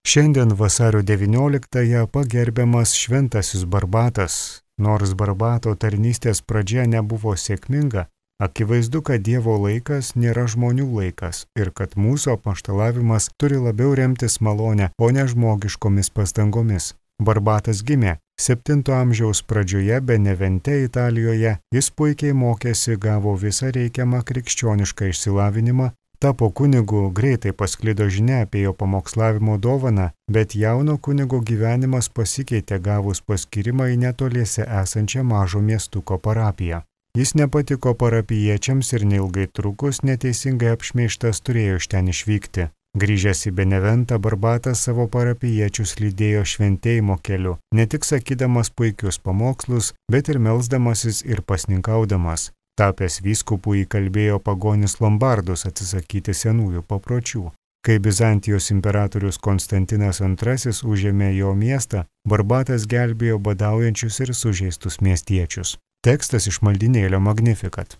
Šiandien vasario 19-ąją pagerbiamas šventasis Barbatas. Nors Barbato tarnystės pradžia nebuvo sėkminga, akivaizdu, kad Dievo laikas nėra žmonių laikas ir kad mūsų apaštalavimas turi labiau remtis malonę, o ne žmogiškomis pastangomis. Barbatas gimė 7 amžiaus pradžioje Benevente, Italijoje. Jis puikiai mokėsi, gavo visą reikiamą krikščionišką išsilavinimą, tapo kunigu, greitai pasklido žinia apie jo pamokslavimo dovaną, bet jauno kunigo gyvenimas pasikeitė gavus paskyrimą į netoliese esančią mažo miestuko parapiją. Jis nepatiko parapijiečiams ir neilgai trukus neteisingai apšmeižtas turėjo iš ten išvykti. Grįžęs į Beneventą, Barbatas savo parapijiečius lydėjo šventėjimo keliu, ne tik sakydamas puikius pamokslus, bet ir melsdamasis ir pasninkaudamas. Tapęs vyskupu įkalbėjo pagonis lombardus atsisakyti senųjų papročių. Kai Bizantijos imperatorius Konstantinas II užėmė jo miestą, Barbatas gelbėjo badaujančius ir sužeistus miestiečius. Tekstas iš maldynėlio Magnificat.